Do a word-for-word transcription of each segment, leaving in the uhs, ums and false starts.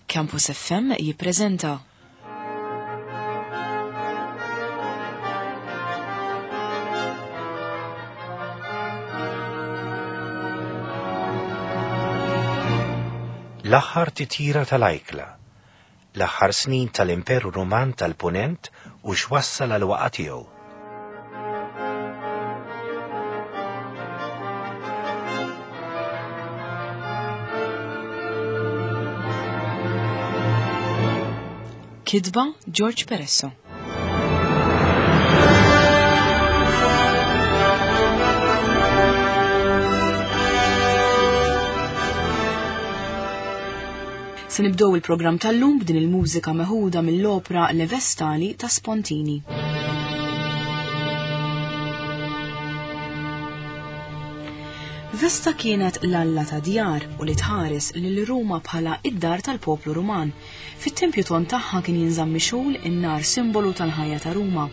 Campus F M jippreżenta L-aħħar titjira tal-ajkla, l-aħħar snin tal-Imperu Ruman tal-Punent u x'wassal għal waqa tiegħu. Kitba George Peresso. Se nibdew il-programm tal-lum b'din il-mużika meħuda mill-opra Le Vestali ta' Spontini. Vesta kienet l-alla ta' djar u li tħares lil Ruma bħala id-dar tal-poplu Ruman. Fit-tempju ton tagħha kien jinżamm mixgħul in-nar, simbolu tal-ħajja ta' Ruma.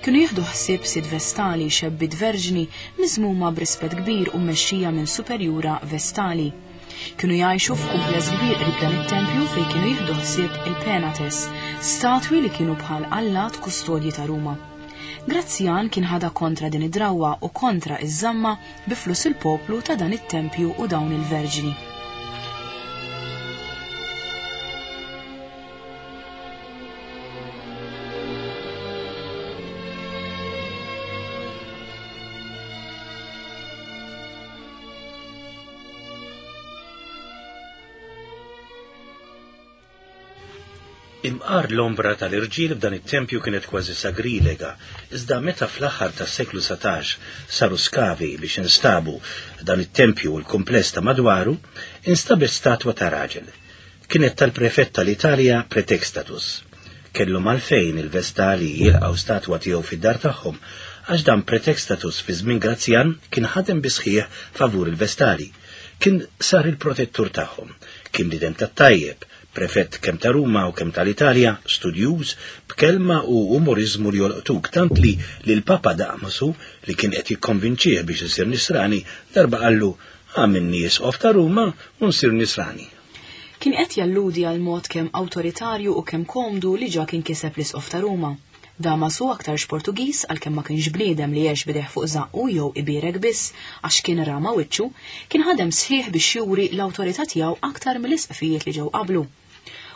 Kienu jieħdu ħsieb sitt Vestali, xebbiet verġni miżmuma b'rispett kbir u mmexxija minn superjura Vestali. Kienu jgħixu f'kumpless kbir qrib dan it-tempju fejn kienu jieħdu ħsieb il-Penates, statwi li kienu bħal allat kustodji ta' Ruma. Grazzjan kien ħada kontra din id-drawwa u kontra iż-żamma bi flus il-poplu ta' dan it-tempju u dawn il-verġni. Imqar l-ombra tal-irġiel f'dan it-tempju kienet kważi sagrilega, iżda meta fl-aħħar tas-seklu satax saru skavi biex instabu dan it-tempju u l-kumpless ta' madwaru, instabet statwa ta' raġel. Kienet tal-prefett tal-Italja Pretextatus. Kellhom għalfejn il-Vestali jilqgħu statwa tiegħu fid-dar tagħhom, għax dan Pretextatus fi żmien Grazzjan kien ħadem bi sħiħ favur il-Vestali. Kien sar il-protettur tagħhom, kien bniedem tat-tajjeb, prefett kemm ta' Ruma u kemm tal-Italja, studjuż, b'kelma u umorizmu li jolqtuk, tant li l-Papa Damasu, li kien qed jikkonvinċih biex isir nisrani, darba qallu: "Għamilni isqof ta' Ruma u nsir nisrani." Kien qed jalludi għal mod kemm awtoritarju u kemm komdu li ġa kien kiseb l-isqof ta' Ruma. Damasu aktarx Portugiż, għalkemm ma kienx bniedem li għex bideh fuq żaqqu jew ibierek biss għax kien rama wiċċu, kien ħadem sħiħ biex juri l-awtorità tiegħu aktar mill-isqfijiet li ġew qablu.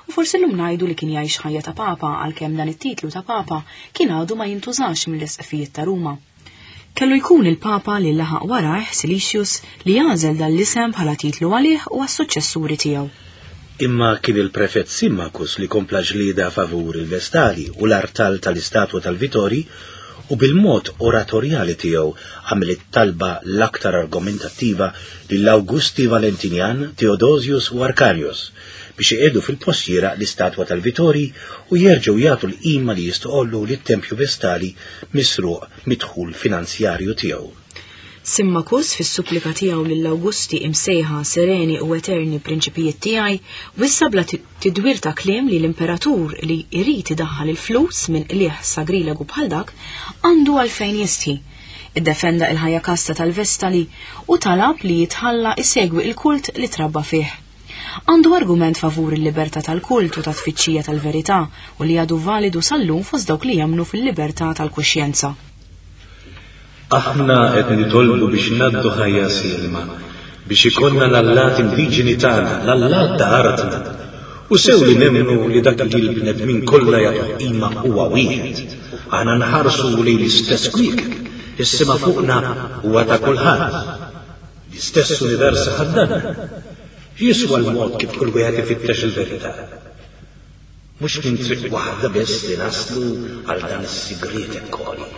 U forsi llum ngħidu li kien jgħix ħajja ta' papa, għalkemm dan it-titlu ta' papa kien għadu ma jintużax mill-isqfijiet ta' Ruma. Kellu jkun il-papa li laħaq warajh Silicius li jagħżel dan l-isem bħala titlu għalih u għas-suċċessuri tiegħu. Imma kien il-prefett Simmachus li kompla ġlieda favur il-Vestali u l-artal tal-istatwa tal-Vitori, u bil-mod oratorjali tiegħu għamel it-talba l-aktar argumentattiva lill-Augusti Valentinian, Theodosius u Arcadius biex iqiegħdu fil-postiera l-istatwa tal-Vitori u jerġgħu jagħtu l-qima li jistqollu lit-tempju Vestali misruq midħul finanzjarju tiegħu. Simmachus fis-supplika tiegħu lill-Augusti imsejħa sereni u eterni prinċipijiet tiegħi wissa bla ti-, tidwir ta' kliem li l-imperatur li jrid idaħħal il-flus minn qliegħ sagrilegu bħal dak għandu għalfejn jistħi. Iddefenda il-ħajja kasta tal-Vestali u talab li jitħalla isegwi il-kult li trabba fih. Għandu argument favur il-libertà tal-kult u ta' tfittxija tal-verità u li għadu validu sal-lum fost dawk li jemmnu fil-libertà tal-kuxjenza. Aħna qed nitolbu biex ngħaddu ħajja silma, biex ikollna l-allat indiġeni tagħna, l-allat ta' artna. U sew li nemmnu li dak li l-bnedmin kollha jagħtu qima huwa wieħed. Aħna nħarsu lejn l-istess kwiekeb, is-sema fuqna huwa ta' kulħadd. L-istess univers ħaddanna. Jiswa l-mod kif kull wieħed ifittex il-verità. Mhux minn triq waħda biss li naslu għal dan is-sigriet ekkoli.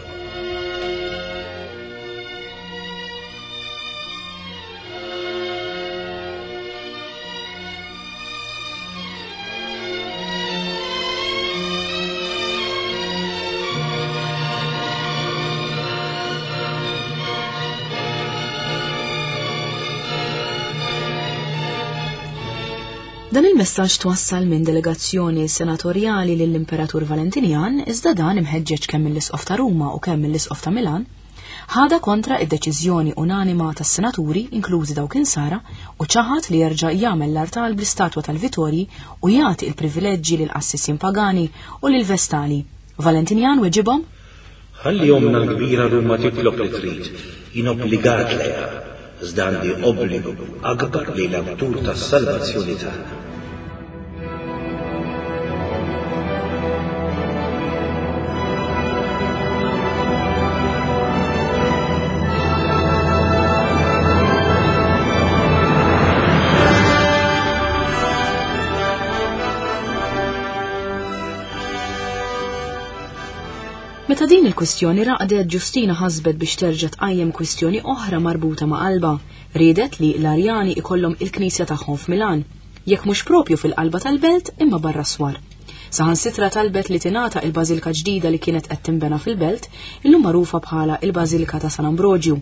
Dan il-messaġġ twassal minn delegazzjoni senatorjali lill-Imperatur Valentinian, iżda dan imħeġġeġ kemm mill-Isqof ta' Ruma u kemm mill-Isqof ta' Milan, Ħadha kontra id-deċiżjoni unanima tas-senaturi, inklużi dawk insara, u ċaħad li jerġa' jagħmel l-artal bl-istatwa tal-Vitorji u jagħti il-privileġġi lil qassisin pagani u lil vestali. Valentinjan weġibhom: Ħalli omna l-kbira Ruma titlob li trid, jien obbligat lejha, iżda għandi obbligu akbar li l-awtur tas-salvazzjoni tagħna. Meta din il-kwistjoni raqdet, Ġustina ħasbet biex terġa' tqajjem kwistjoni oħra marbuta ma' qalba. Riedet li l-Arjani ikollhom il-knisja tagħhom f'Milan, jekk mhux propju fil-qalba tal-belt imma barra swar. Saħansitra talbet li tingħata il-bażilka ġdida li kienet qed tinbena fil-belt, illum magħrufa bħala il-Bażilka ta' San Ambroġju.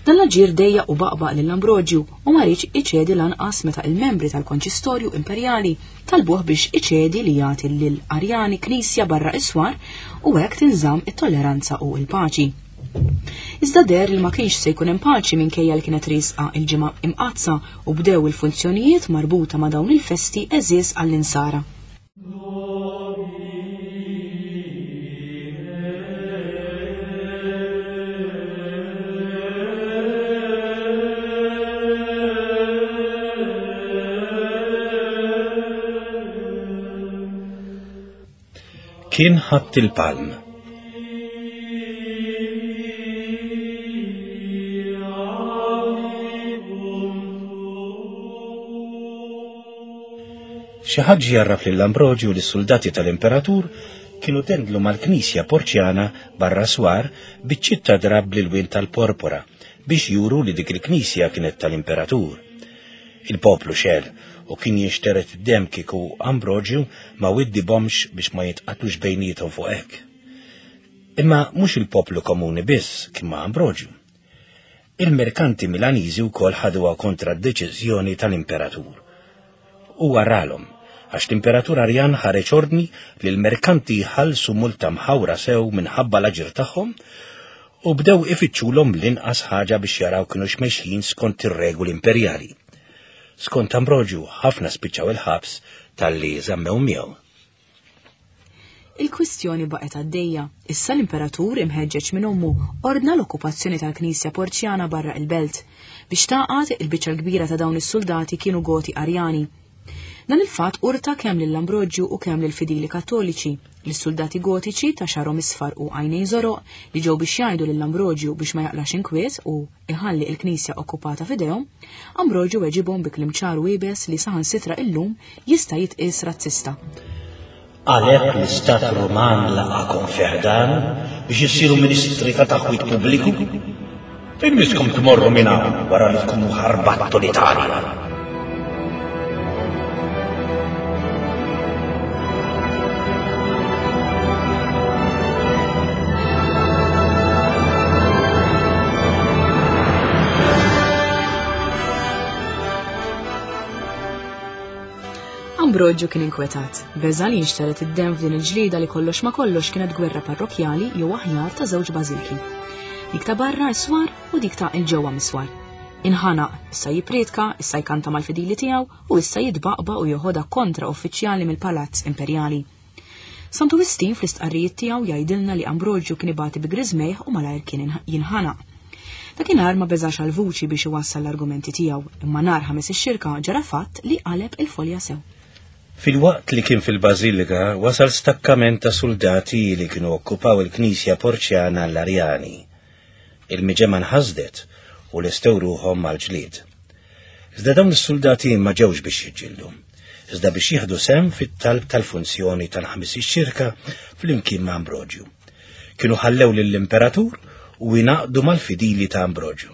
Dan l-aġir dejjaq u baqbaq lil Ambroġju u ma riedx iċedi lanqas meta il-membri tal-Konċistorju Imperjali talbuh biex iċedi li jagħti lil Arjani knisja barra is-swar u hekk tinżamm it-tolleranza u l-paċi. Iżda deher li ma kienx se jkun hemm paċi minkejja li kienet riesqa il-ġimgħa imqaddsa u bdew il-funzjonijiet marbuta ma' dawn il-festi għeżież għall-insara. Kien Ħadd il-Palm. Xi ħadd jarraf lil Ambroġju li s-soldati tal-Imperatur kienu tendlu mal-Knisja Porċjana barra swar biċ-ċitta drab lil wien tal-porpora biex juru li dik il-Knisja kienet tal-Imperatur. Il-poplu xel u kien jinxteret id-dem kieku Ambroġju ma widdibhomx biex ma jitqatlux bejniethom fuq hekk. Imma mhux il-poplu komuni biss kien ma' Ambroġju. Il-merkanti Milaniżi wkoll ħaduha kontra d-deċiżjoni tal-Imperatur. U waralhom għax l-Imperatur Arjan ħareġ ordni li l-merkanti jħallsu multa mħawra sew minħabba l-aġir tagħhom u bdew ifittxulhom l-inqas ħaġa biex jaraw kienu xmexjin skont ir-regoli imperjali. Skont Ambroġju ħafna spiċċaw il-ħabs talli żammew miegħu. Il-kwistjoni baqgħet għaddejja. Issa l-Imperatur imħeġġeġ minn ommu ordna l-okkupazzjoni tal-Knisja Porċjana barra il-belt. Biex taqgħad il-biċċa l-kbira ta' dawn is-soldati kienu Goti Arjani. Dan il-fatt urta kemm lil Ambroġju u kemm lil fidili Kattoliċi. Lis-soldati Gotiċi ta' xarhom isfar u għajnejn żoroq li ġew biex jgħidu lil Ambroġju biex ma jaqlax inkwiet u iħalli l-Knisja okkupata f'idejhom, Ambroġju weġibhom bi kliem ċar u iebes li saħansitra illum jista' jitqies razzista. Għalhekk l-Istat Ruman laqakom fi ħdan biex issiru ministri ta' taħwit pubbliku. Fejn miskom tmorru minn hawn wara li tkunu ħarbattu l-Italja? Ambroġju kien inkwetat, beża' li jinxteret id-dem f'din il-ġlieda li kollox ma kollox kienet gwerra parrokjali jew aħjar ta' żewġ bażilki. Dik ta' barra s-swar u dik ta' il-ġewwa mis-swar. Inħanaq, issa jippriedka, issa jkanta mal-fidili tiegħu u issa jitbaqba u joħodha kontra uffiċjali mill-Palazz Imperjali. Santu Wistin fl-istqarrijiet tiegħu jgħidilna li Ambroġju kien ibati bi griżmejh u malajr kien jinħanaq. Dakinhar ma beżax għal vuċi biex iwassal l-argumenti tiegħu, imma nhar ħames ix-xirka ġara fatt li qaleb il-folja sew. Fil-waqt li kien fil-Bażilika wasal stakkament ta' soldati li kienu okkupaw il-Knisja Porċjana l-Arjani. Il-miġemma nħasdet u lestew ruħhom mal-ġlied. Iżda dawn is-soldati ma ġewx biex jiġġieldu, iżda biex jieħdu sehem fit-talb tal-funzjoni tal-ħames ix-xirka flimkien ma' Ambroġju. Kienu ħallew lill-Imperatur u jingħaqdu mal-fidili ta' Ambroġju.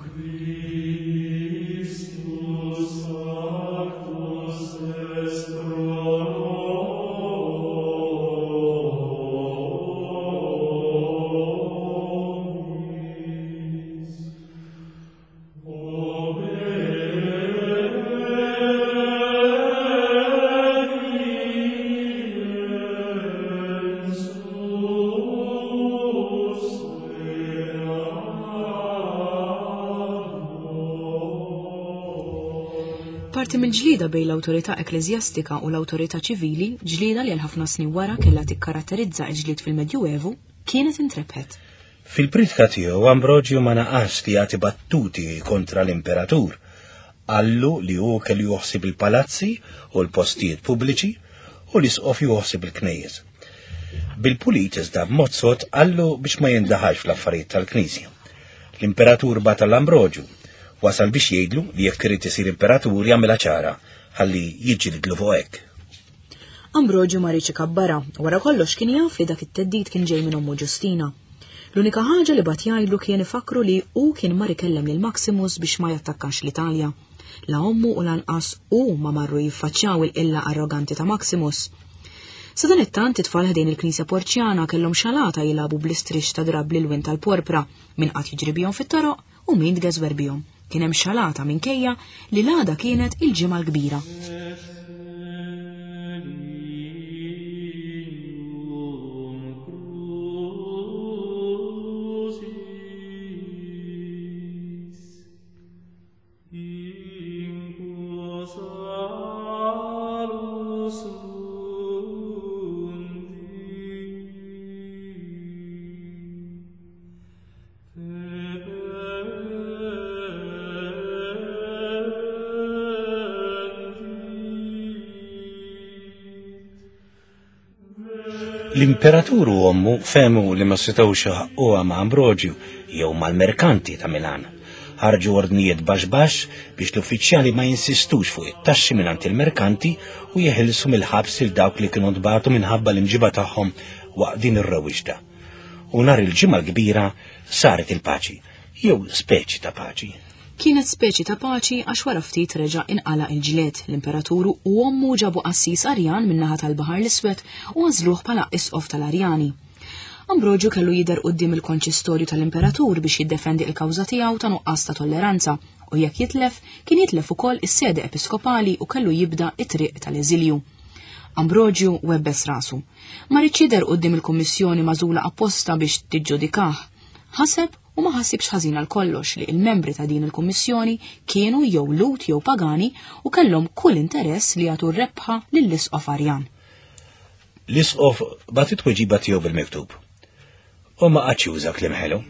Parti mill-ġlieda bejn l-awtorità ekkleżjastika u l-awtorità ċivili, ġlieda li għal ħafna snin wara kellha tikkaratterizza l-ġlied fil-Medjuevu, kienet intrebħet. Fil-pritka tiegħu Ambrogio ma naqas li jagħti battuti kontra l-imperatur. Qallu li hu kellu joħsib il-palazzi u l-postijiet pubbliċi u l-isqof joħsib il-knejjes. Bil-pulit iżda b'mod sod qallu biex ma jindaħalx fl-affarijiet tal-Knisja. L-imperatur bata l-Ambrogio wasal biex jgħidlu li jekk irid isir imperatur jagħmilha ċara ħalli jiġġielidlu fuq hekk. Ambrogio ma riedx ikabbarha, wara kollox kien jaf li dak it-theddid kien ġej minn ommu Ġustina. L-unika ħaġa li bagħat jgħidlu kien ifakru li hu kien mar ikellem lil Maximus biex ma jattakkax l-Italja. La ommu u lanqas hu ma marru jiffaċċjaw il-qilla arroganti ta' Maximus. Sadanittant it-tfal ħdejn il-Knisja Porċjana kellhom xalata jilagħbu bl-istrix ta' drab l-ilwien tal-porpra min qatt jiġri bihom fit-toroq u min tgeżwer bihom. Kien hemm xalata minkejja li l-għada kienet il-Ġimgħa l-Kbira. L-imperatur u ommu fehmu li ma setgħux iħaqquha ma' Ambrogio jew mal-merkanti ta' Milan. Ħarġu ordnijiet baxx baxx biex l-uffiċjali ma jinsistux fuq it-taxxi mingħand il-merkanti u jeħilsu mill-ħabs il dawk li kienu ntbagħtu minħabba l-imġiba tagħhom waqt din ir-rewwixta. U nhar il-Ġimgħa l-Kbira saret il-paċi, jew speċi ta' paċi. Kienet speċi ta' paċi għax wara ftit reġa' inqala' il-ġlied. L-imperaturu u ommu ġabu qassis Arjan min-naħa tal-Baħar l-Iswed u għażluh bħala isqof tal-Arjani. Ambrogio kellu jidher quddiem il-konċistorju tal-imperatur biex jiddefendi l-kawża tiegħu ta' nuqqas ta' tolleranza u jekk jitlef kien jitlef ukoll is-sede episkopali u kellu jibda it-triq tal-eżilju. Ambrogio webbes rasu. Ma riedx jidher quddiem il-kummissjoni magħżula apposta biex tiġġudikah. Ħaseb u ma ħasibx ħażin għal kollox li il-membri ta' din il-kummissjoni kienu jew Lhud jew pagani u kellhom kull interess li jagħtu r-rebħa lill-isqof Arjan. L-isqof bagħat it-tweġiba tiegħu bil-miktub. U ma qagħadx juża kliem ħelu.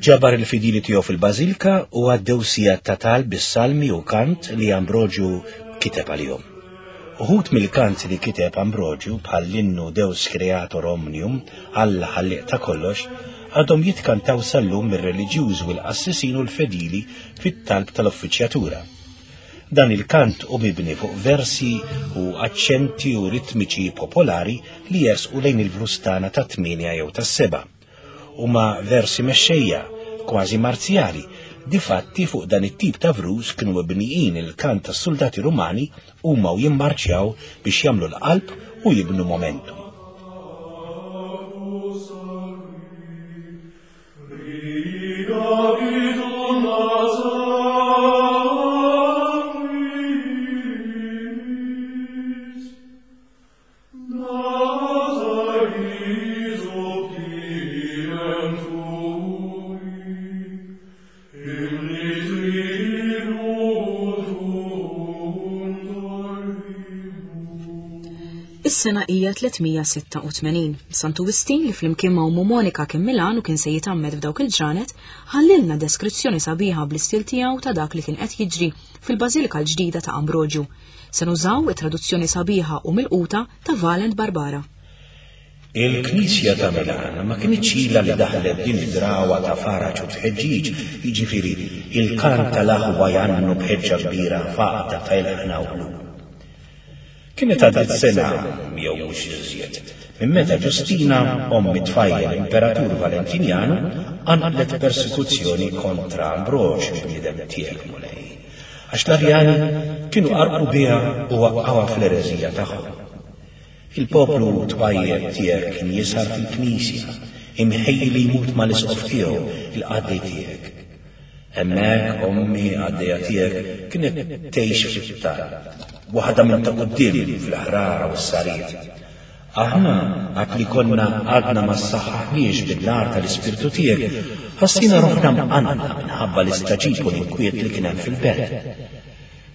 Ġabar il-fidili tiegħu fil-bażilka u għaddew sigħat ta' talb bis-salmi u kant li Ambrogio kiteb għalihom. Uħud mill-kant li kiteb Ambrogio bħal l-innu Deus Creator Omnium, Alla ħallieq ta' kollox, għadhom jitkantaw sal-lum mir-reliġjużi u l-qassisin u l-fedili fit-talb tal-uffiċjatura. Dan il-kant hu mibni fuq versi u aċċenti u ritmiċi popolari li jersqu lejn il-vrustana ta' tmienja jew ta' seba'. Huma versi mexxejja, kważi marzjali. Difatti fuq dan it-tip ta' vrus kienu mibnijin il-kant tas-soldati Rumani huma u jimmarċjaw biex jagħmlu l-qalb u jibnu momentum. Is-sena hija tlietmija sitta u tmenin. Santu Wistin li flimkien ma' ommu Monika kien Milan u kien se jitgħammed f'dawk il-ġranet, ħallilna deskrizzjoni sabiħa bl-istil tiegħu ta' dak li kien qed jiġri fil-Bażilika l-ġdida ta' Ambrogio. Se nużaw it-traduzzjoni sabiħa u milquta ta' Valent Barbara. Il-Knisja ta' Milan ma kinitx ilha li daħlet din id-drawa ta' faraġ u tħeġġiġ, jiġifieri il-kant tal-aħwa jgħannu b'ħeġġa kbira faqda ta' ilħna u qlub. Kienet għaddiet sena jew mhux iżjed minn meta Ġustina, omm it-tfajjel imperatur Valentinjanu, qanqlet persekuzzjoni kontra Ambrogio bniedem tiegħek Mulej. Għax l-Arjani kienu qarqu biha u waqqgħuha fl-ereżija tagħhom. Il-poplu twajjeb tiegħek kien jisar fil-knisja, imħejji li jmut mal-isqof tiegħu, il-qaddej tiegħek. Hemmhekk ommi qaddejja tiegħek kienet tgħix fit-talb, waħda minn ta' quddiem fil-ħrara u s-sariet. Aħna għad li konna għadna ma ssaħħaħniex bin-nar tal-Ispirtu tiegħek, ħassina ruħna mqanqla minħabba l-istaġib u l-inkwiet li kien hemm fil-belt.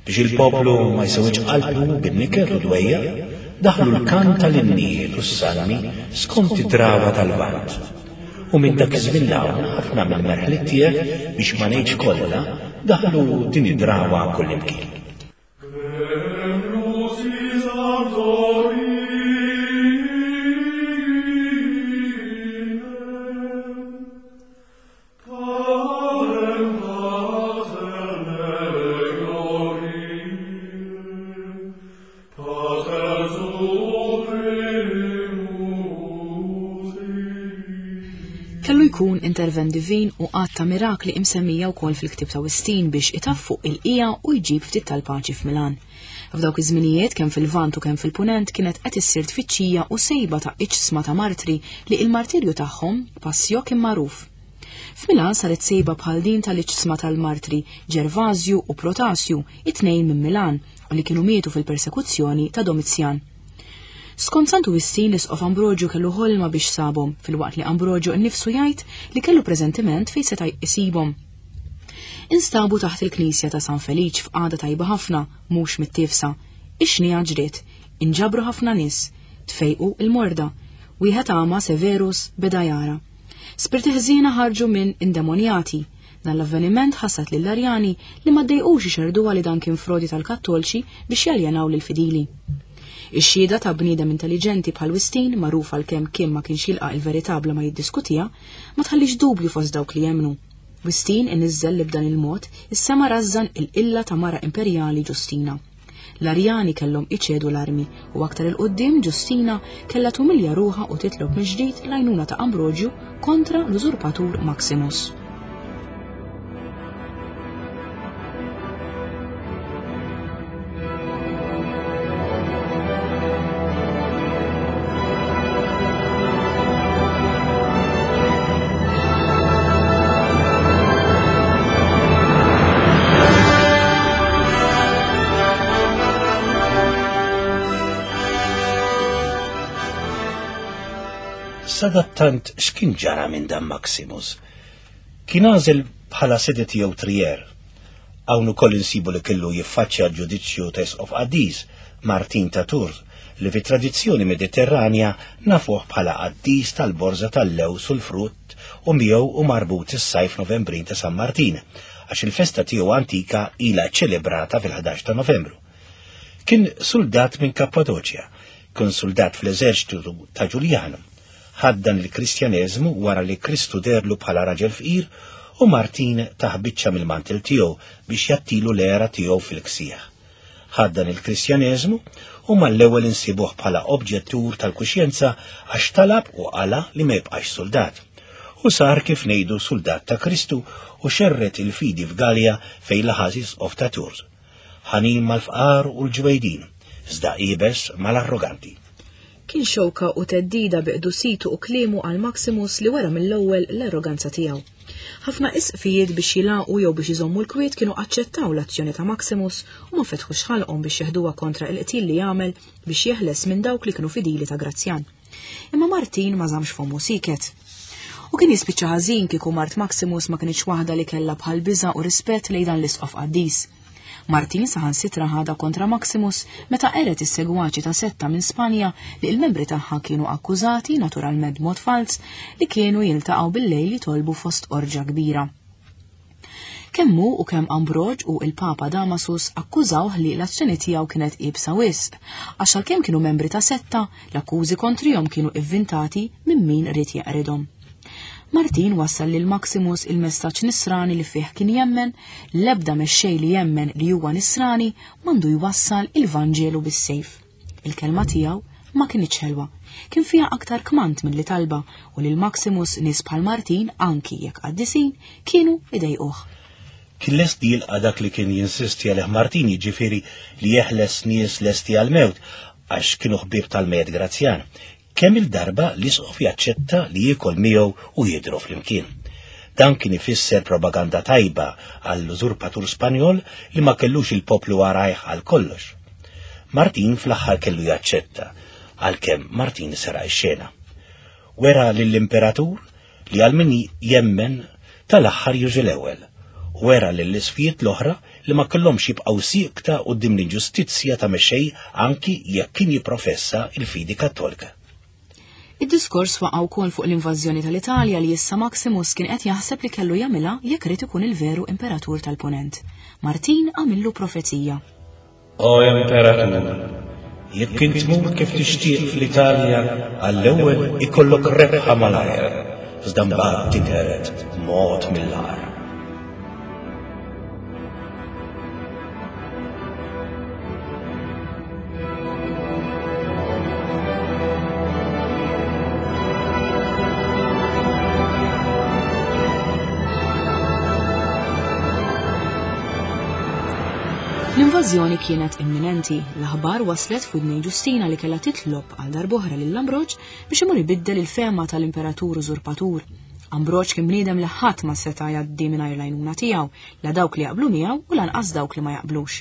Biex il-poplu ma jsewwidx qalbu bin-niket u dwejjaq, daħlu l-kant tal-innijiet u s-salmi skont id-drawa tal-Lvant. U minn dak iż-żmien 'l hawn ħafna mill-merħliet tiegħek, biex ma ngħidx kollha, daħlu din id-drawa kullimkien. Kellu jkun intervent divin u għadd ta' mirakli imsemmija wkoll fil-ktieb ta' Wistin biex itaffu il-qija u jġib ftit tal-paċi f'Milan. F'dawk iż-żminijiet kemm fil-Lvant u kemm fil-Punent kienet qed issir tfittxija u sejba ta' iġsma ta' martri li il-martirju tagħhom passjo kien magħruf. F'Milan saret sejba bħal din tal-iġsma tal-martri Ġervasju u Protasju, it-tnejn minn Milan, u li kienu mietu fil-persekuzzjoni ta' Domizjan. Skont Santu Wistin, l-Isqof Ambrogio kellu ħolma biex sabhom, filwaqt li Ambrogio nnifsu jgħid li kellu preżentiment fejn seta' jsibhom. Instabu taħt il-knisja ta' San Feliċ f'qagħda tajba ħafna, mhux mittiefsa. Ix-xniegħa ġriet, inġabru ħafna nies, tfejqu il-morda. Wieħed għama Severus beda jara. Spirti ħżiena ħarġu minn indemonjati. Dan l-avveniment ħassat lill-Arjani li ma ddejqux ixerduha li dan kien frodi tal-Kattolċi biex jaljenaw lill-fidili. Ix-xhieda ta' bniedem intelligenti bħal Wistin, magħruf għalkemm kien ma kienx jilqa' il-verità bla ma jiddiskutiha, ma tħallix dubju fost dawk li jemmnu. Wistin iniżżel li b'dan il-mod is-sema rażżan il-qilla ta' mara imperjali Ġustina. L-Arjani kellhom iċedu l-armi u aktar il-qudiem Ġustina kellha tumilja ruħha u titlob mill-ġdid l-għajnuna ta' Ambrogio kontra l-użurpatur Maximus. Sadattant x'kien ġara minn dan Maximus? Kien għażel bħala sede tiegħu Trier. Hawn ukoll insibu li kellu jiffaċċja l-ġudizzju ta' Isqof Qaddis, Martin ta' Tours, li fit-tradizzjoni Mediterranja nafuh bħala qaddis tal-borża tal-lews u l-frott u miegħu u marbut is-sajf Novembrin ta' San Martin, għax il-festa tiegħu antika ilha ċelebrata fil-ħdax ta' Novembru. Kien soldat minn Kappadoċja, kien soldat fl-eżerċitu ta' Ġuljanu. Ħaddan il-Kristjaneżmu wara li Kristu derlu bħala raġel fqir u Martin taħbiċċa mill-mantel tiegħu biex jattilu l-era tiegħu fil-ksieħ. Ħaddan il-Kristjaneżmu u mal-ewwel insibuh bħala obġettur tal-kuxjenza għax talab u qala li ma jibqax soldat. U sar kif ngħidu soldat ta' Kristu u xerret il-fidi f'Galja fejn laħas isqof ta' Tours. Ħanin mal-fqar u l-ġwejdin, iżda iebes mal-arroganti. Kien xewka u teddida biqdusitu u kliemu għal Maximus li wara mill-ewwel l-arroganza tiegħu. Ħafna isqfijiet biex jilaqu jew biex iżommu l-kwiet kienu aċċettaw l-azzjoni ta' Maximus u ma fetħux ħalqhom biex jeħduha kontra il-qtil li jagħmel biex jeħles minn dawk li kienu fidili ta' Grazzjan. Imma Martin ma żamx fommu siket. U kien jispiċċa ħażin kieku mart Maximus ma kienx waħda li kellha bħal biża' u rispett lejn dan l-isqof qaddis. Martin saħansitra ħadha kontra Maximus meta qeret is-segwaċi ta' setta minn Spanja li l-membri tagħha kienu akkużati, naturalment b'mod falz, li kienu jiltaqgħu bil-lejl jitolbu fost orġa kbira. Kemm hu u kemm Ambrogio u il-Papa Damasus akkużawh li l-azzjoni tiegħu kienet iebsa wisq, għax għalkemm kienu membri ta' setta, l-akkużi kontrihom kienu ivvintati minn min ried jeqridhom. Martin wassal lil Maximus il-messaġġ nisrani li fih kien jemmen, l-ebda mexxej li jemmen li huwa nisrani m'għandu jwassal il-Vanġelu bis-sejf. Il-kelma tiegħu ma kinitx ħelwa, kien fiha aktar kmand milli talba u lil Maximus nies bħal Martin, anki jekk qaddisin, kienu idejquh. Kien lest jilqa' dak li kien jinsisti għalih Martin, jiġifieri li jeħles nies lesti għall-mewt għax kienu ħbieb tal-Med Grazzjan. Kemm il-darba l-isqof jaċċetta li jiekol miegħu u jidhru flimkien. Dan kien ifisser propaganda tajba għall-użurpatur Spanjol li ma kellux il-poplu warajh għal kollox. Martin fl-aħħar kellu jaċċetta, għalkemm Martin sera x-xena. Wera lill-imperatur li għal min jemmen tal-aħħar jużi l-ewwel. Wera lill-isfijiet l-oħra li ma kellhomx jibqgħu siekta quddiem l-inġustizzja ta' mexej anki jekk kien jipprofessa il-fidi Kattolika. Id-diskors waqa' wkoll fuq l-invażjoni tal-Italja li issa Maximus kien qed jaħseb li kellu jagħmilha jekk irid ikun il-veru imperatur tal-Punent. Martin għamillu profezija. O imperatur, jekk int tmur kif tixtieq fl-Italja, għall-ewwel ikollok rebħa malajr, iżda mbagħad tinqered mod mill-agħar. L-invażjoni kienet imminenti. L-aħbar waslet f'widnej Ġustina li kellha titlob għal darb'oħra lil Ambroġ biex imur ibiddel il-fehma tal-imperatur użurpatur. Ambroġ kien bniedem li ħadd ma seta' jgħaddi mingħajr l-għajnuna tiegħu, la dawk li jaqblu miegħu u lanqas dawk li ma jaqblux.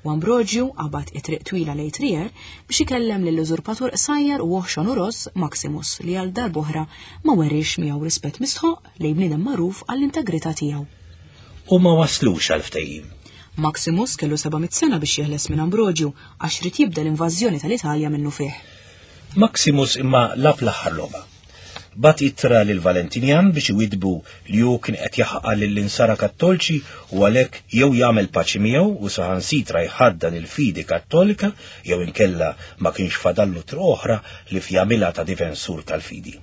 U Ambroġju qabad it-triq twila lejn Trier biex ikellem lill-użurpatur qsajjar u oħxon u ross Maximus li għal darb'oħra ma weriex miegħu rispett mistħoq lejn bniedem magħruf għall-integrità tiegħu. U ma waslux għal ftehim. Maximus kellu seba' mitt sena biex jeħles minn Ambroġju għax rid jibda l-invażjoni tal-Italja minnu fih. Maximus imma lab l-aħħar logħba. Bat ittra lil Valentinjan biex iwidbu li hu kien qed jaħqa lill-insara Kattolċi u għalhekk jew jagħmel paċi miegħu u saħansitra jħaddan il-fidi Kattolika jew inkella ma kienx fadallu triq oħra li f'jagħmilha ta' difensur tal-fidi.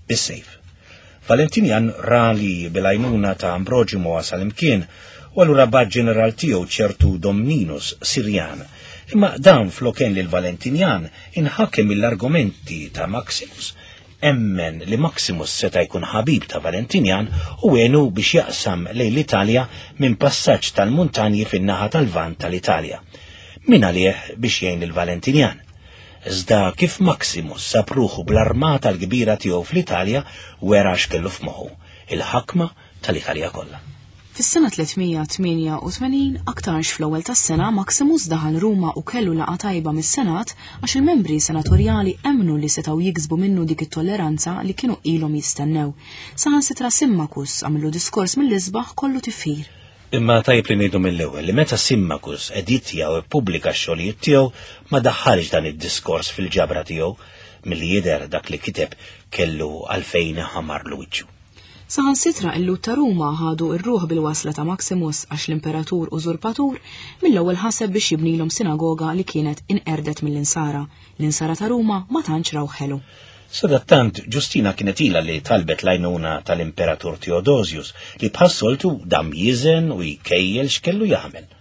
Bis-sejf. Valentinjan ra li bil-għajnuna ta' Ambroġju ma wasal imkien u allura bat ġeneral tiegħu ċertu Domninus Sirjan. Imma dan floken lil Valentinjan inħakem mill-argumenti ta' Maximus, emmen li Maximus seta' jkun ħabib ta' Valentinjan u għenu biex jaqsam lejn l-Italja minn passaġġ tal-muntanji fin-naħa tal-Lvant tal-Italja. Min għalih biex jgħin lil Valentinjan. Iżda kif Maximus sab ruħu bl-armata l-kbira tiegħu fl-Italja wera x'kellu f'moħħu, il-ħakma tal-Italja kollha. Fis-sena tliet mija tmienja u tmenin, aktarx fl-ewwel tas-sena, Maximus daħal Ruma u kellu laqgħa tajba mis-Senat għax il-membri senatorjali emmnu li setgħu jiksbu minnu dik it-tolleranza li kienu ilhom jistennew. Saħansitra Symmachus għamlu diskors mill-isbaħ kollu tifħir. Imma tajb li ngħidu mill-ewwel li meta Symmachus editja u ippubblika x-xogħlijiet tiegħu ma daħħalx dan id-diskors fil-ġabra tiegħu, milli jidher dak li kiteb kellu għalfejn ħamarlu wiċċu. Saħansitra il-Lhud ta' Ruma ħadu r-ruħ bil-wasla ta' Maximus għax l-imperatur użurpatur mill-ewwel ħaseb biex jibnilhom sinagoga li kienet inqerdet mill-insara. L-insara ta' Ruma ma tantx raw ħelu. Sadattant Ġustina kienet ilha li talbet l-għajnuna tal-imperatur Theodosius li bħas-soltu dam jiżen u jkejjel x'kellu jagħmel.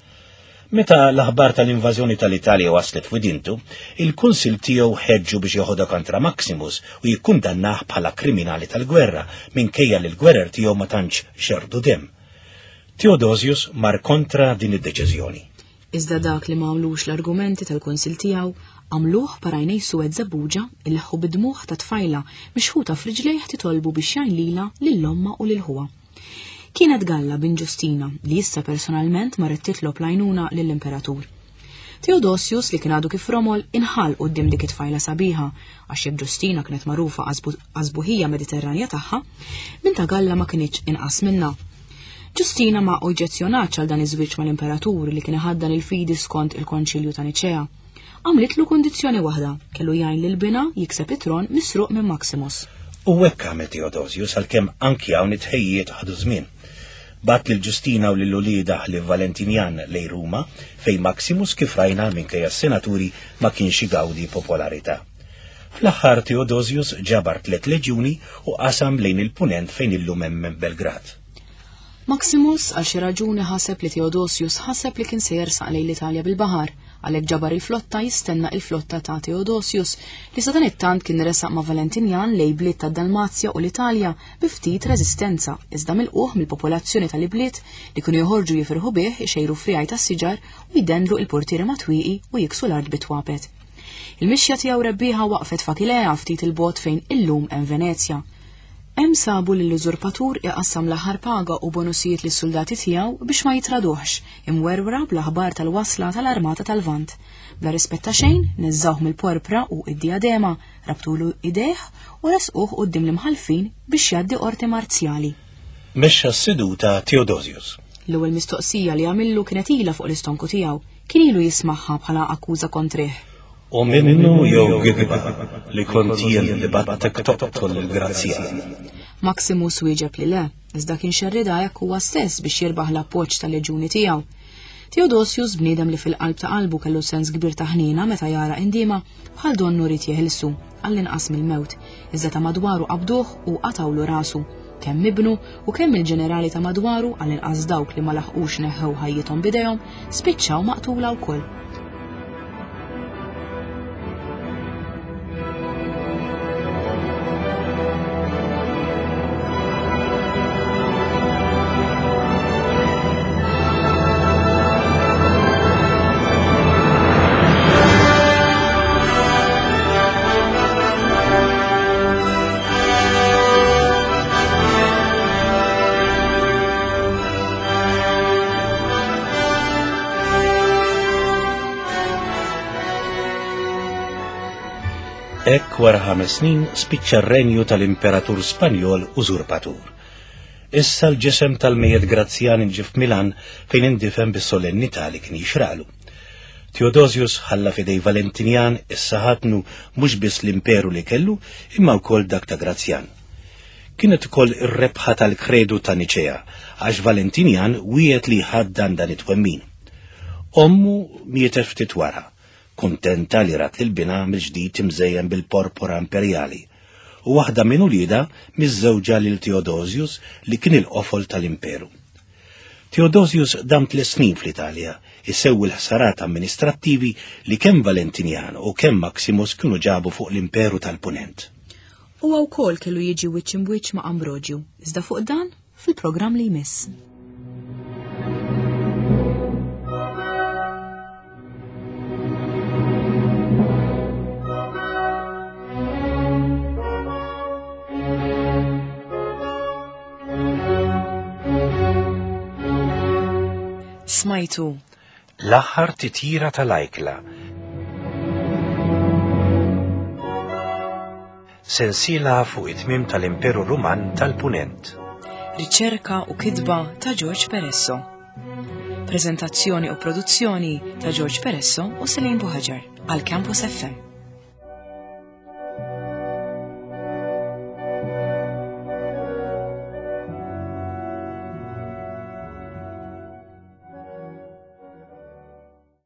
Meta l-aħbar tal-invażjoni tal-Italja waslet f'widintu, il-kunsil tiegħu ħeġġu biex joħodha kontra Maximus u jikkundannah bħala kriminali tal-gwerra minkejja li l-gwerer tiegħu ma tantx xerdu dem. Theodosius mar kontra din id-deċiżjoni. Iżda dak li ma għamlux l-argumenti tal-kunsil tiegħu għamluh parajnej suwed żebbuġa illeħħu bidmuħ ta' tfajla mixħuta f'riġlejh titolbu biex jgħin lilha lil ommha u lil ħuha. Kienet Galla bin Ġustina li issa personalment marret titlob l-għajnuna lill-imperatur. Theodosius li kien għadu kif romol inħall quddiem dik it-tfajla sabiħa għax jekk Ġustina kienet magħrufa għażbuħija Mediterranja tagħha, binta Galla ma kinitx inqas minnha. Ġustina ma oġġezzjonatx għal dan iż-żwieġ mal-imperatur li kien iħaddan il-fidi skont il-Konċilju ta' Niċea. Għamlitlu kundizzjoni waħda, kellu jgħin lil binha jikseb it-tron misruq minn Maximus. U hekk għamel Theodosius għalkemm anki hawn it-tħejjiet ħadu żmien. Bat lil Ġustina u lil uliedha li Valentinjan lejn Ruma fejn Maximus kif rajna minkejja s-senaturi ma kienx igawdi popolarità. Fl-aħħar Theodosius ġabar tliet leġjuni u qasam lejn il-punent fejn illum hemm Belgrad. Maximus għal xi raġuni ħaseb li Theodosius ħaseb li kien se jersaq lejn l-Italja bil-baħar, Għalhekk ġabar il-flotta jistenna il-flotta ta' Theodosius li sadanittant kien resaq ma' Valentinjan lejn bliet ta' Dalmazja u l-Italja bi ftit reżistenza, iżda milquh mill-popolazzjoni tal-ibliet li kienu joħorġu jifirħu bih, ixejru frijaj tas-siġar u jdendlu il-portieri matwieqi u jiksu l-art bitwapet. Il-mixja tiegħu rebbieħa waqfet f'Akilea ftit il-bot fejn illum hemm Venezja. Hemm sabu lill-użurpatur iqassam l-aħħar paga u bonusijiet lis-soldati tiegħu biex ma jitraduhx, imwerwra bl-aħbar tal-wasla tal-Armata tal-Lvant. Bla rispett ta' xejn, neżżawh mill-porpra u id-diadema, rabtulu idejh u resquh quddiem l-imħallfin biex jgħaddi qorti marzjali. Mexxa s-seduta Theodosius. L-ewwel mistoqsija li għamillu kienet ilha fuq l-istonku tiegħu, kien ilu jismagħha bħala akkuża kontrih. U minnu jew gidba li kont jien li battek toqtol il-Grazzjan. Maximus wieġeb li le, iżda kien xerrida hekk huwa stess biex jirbaħ l-appoġġ tal-leġuni tiegħu. Theodosius, bniedem li fil-qalb ta' qalbu kellu sens kbir ta' ħniena meta jara indiema, bħal donnu ried jeħilsu għall-inqas mill-mewt, iżda ta' madwaru qabduh u qatawlu rasu, kemm ibnu u kemm il-ġenerali ta' madwaru għall-inqas dawk li ma laħqux neħħew ħajjithom b'idejhom, spiċċaw maqtula wkoll. Hekk wara ħames snin spiċċa r-renju tal-Imperatur Spanjol użurpatur. Issa l-ġisem tal-mejjet Grazzjan inġie f'Milan fejn indifen bis-solennità li kien jixralu. Theodosius ħalla f'idej Valentinjan issa ħatnu mhux biss l-imperu li kellu imma wkoll dak ta' Grazzjan. Kienet ukoll ir-rebħa tal-kredu ta' Niċea għax Valentinjan wiegħed li ħaddan dan it-twemmin. Ommu mietet ftit wara, kuntenta li rat lil binha mill-ġdid imżejjen bil-porpora imperjali, u waħda minn uliedha miżżewġa lil Theodosius li kien il-qofol tal-imperu. Theodosius dam tliet snin fl-Italja, isewwi l-ħsarat amministrattivi li kemm Valentinjan u kemm Maximus kienu ġabu fuq l-imperu tal-Punent. Huwa wkoll kellu jiġi wiċċ imbwiċċ ma' Ambrogju, iżda fuq dan fil-programm li jmiss. Smajtu L-aħħar titjira tal-ajkla. Sensiela fuq it-tmiem tal-Imperu Ruman tal-Punent. Riċerka u kitba ta' George Peresso. Prezentazzjoni u produzzjoni ta' George Peresso u Celine Buhaġar għal Campus F M.